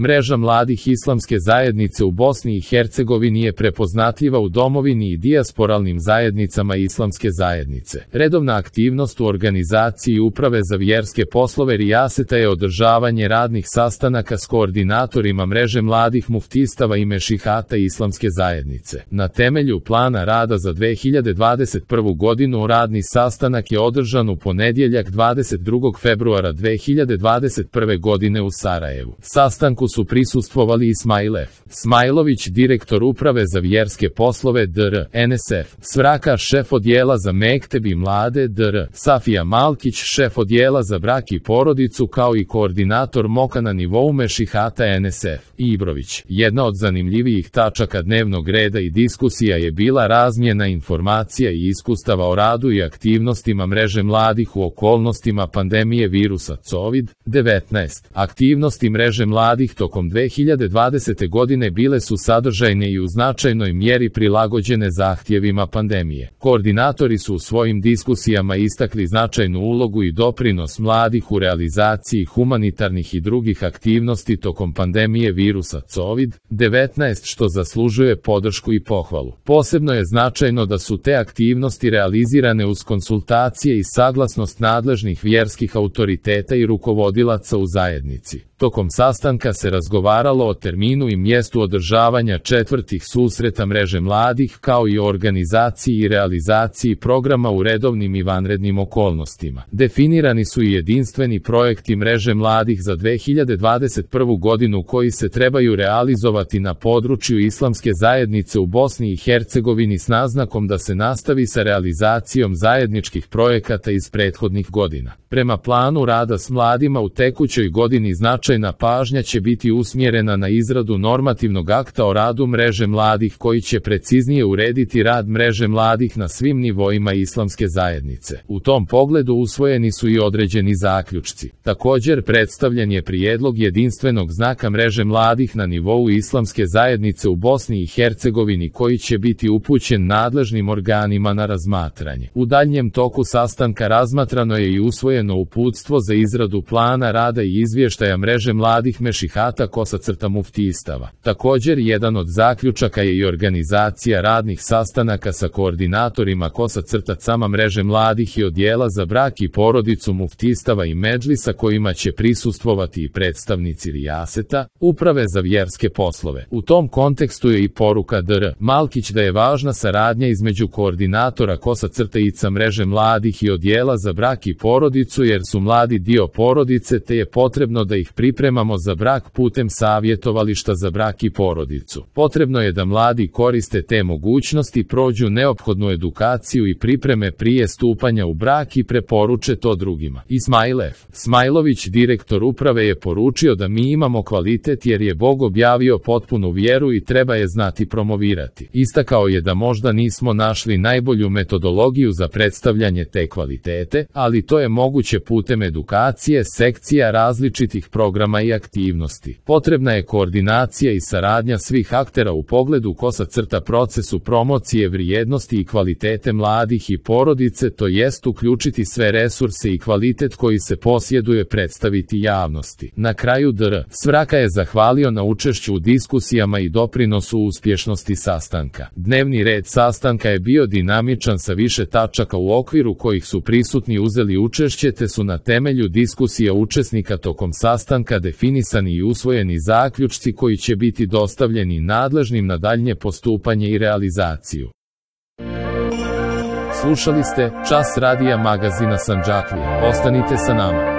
Mreža mladih islamske zajednice u Bosni i Hercegovini je prepoznatljiva u domovini i dijasporalnim zajednicama islamske zajednice. Redovna aktivnost u organizaciji Uprave za vjerske poslove Rijaseta je održavanje radnih sastanaka s koordinatorima mreže mladih muftistava i mešihata islamske zajednice. Na temelju plana rada za 2021. godinu radni sastanak je održan u ponedjeljak 22. februara 2021. godine u Sarajevu. Sastanku su prisustvovali Ismail F. Smajlović, direktor Uprave za vjerske poslove Dr. NSF, Svraka, šef odjela za mekteb i mlade Dr. Safija Malkić, šef odjela za brak i porodicu, kao i koordinator MOK-a na nivou mešihata NSF, Ibrović. Jedna od zanimljivijih tačaka dnevnog reda i diskusija je bila razmjena informacija i iskustava o radu i aktivnostima mreže mladih u okolnostima pandemije virusa COVID-19. Aktivnosti mreže mladih tokom 2020. godine bile su sadržajne i u značajnoj mjeri prilagođene zahtjevima pandemije. Koordinatori su u svojim diskusijama istakli značajnu ulogu i doprinos mladih u realizaciji humanitarnih i drugih aktivnosti tokom pandemije virusa COVID-19, što zaslužuje podršku i pohvalu. Posebno je značajno da su te aktivnosti realizirane uz konsultacije i saglasnost nadležnih vjerskih autoriteta i rukovodilaca u zajednici. Tokom sastanka se razgovaralo o terminu i mjestu održavanja četvrtih susreta mreže mladih, kao i o organizaciji i realizaciji programa u redovnim i vanrednim okolnostima. Definirani su i jedinstveni projekti mreže mladih za 2021. godinu koji se trebaju realizovati na području islamske zajednice u Bosni i Hercegovini s naznakom da se nastavi sa realizacijom zajedničkih projekata iz prethodnih godina. Prema planu rada s mladima u tekućoj godini značajna pažnja će biti usmjerena na izradu normativnog akta o radu mreže mladih koji će preciznije urediti rad mreže mladih na svim nivoima islamske zajednice. U tom pogledu usvojeni su i određeni zaključci. Također predstavljen je prijedlog jedinstvenog znaka mreže mladih na nivou islamske zajednice u Bosni i Hercegovini koji će biti upućen nadležnim organima na razmatranje. U daljnjem toku sastanka razmatrano je i usvojeno uputstvo za izradu plana rada i izvještaja mreže mladih mešihata muftistava. Također jedan od zaključaka je i organizacija radnih sastanaka sa koordinatorima mreže mladih i odjela za brak i porodicu muftistava i medžlisa kojima će prisustvovati i predstavnici Rijaseta, Uprave za vjerske poslove. U tom kontekstu je i poruka Dr. Malkić da je važna saradnja između koordinatora mreže mladih i odjela za brak i porodicu jer su mladi dio porodice te je potrebno da ih pripremamo za brak putem savjetovališta za brak i porodicu. Potrebno je da mladi koriste te mogućnosti, prođu neophodnu edukaciju i pripreme prije stupanja u brak i preporuče to drugima. Ismail F. Smajlović, direktor Uprave, je poručio da mi imamo kvalitet jer je Bog objavio potpunu vjeru i treba je znati promovirati. Istakao je da možda nismo našli najbolju metodologiju za predstavljanje te kvalitete, ali to je moguće putem edukacije, sekcija, različitih programa i aktivnosti. Potrebna je koordinacija i saradnja svih aktera u pogledu procesu promocije vrijednosti i kvalitete mladih i porodice, to jest uključiti sve resurse i kvalitet koji se posjeduje predstaviti javnosti. Na kraju Dr. Svraka je zahvalio na učešću u diskusijama i doprinosu uspješnosti sastanka. Dnevni red sastanka je bio dinamičan sa više tačaka u okviru kojih su prisutni uzeli učešće te su na temelju diskusija učesnika tokom sastanka definisani i usvojeni zaključci koji će biti dostavljeni nadležnim na daljnje postupanje i realizaciju. Slušali ste Čas radija magazina Sandžaklija. Ostanite sa nama.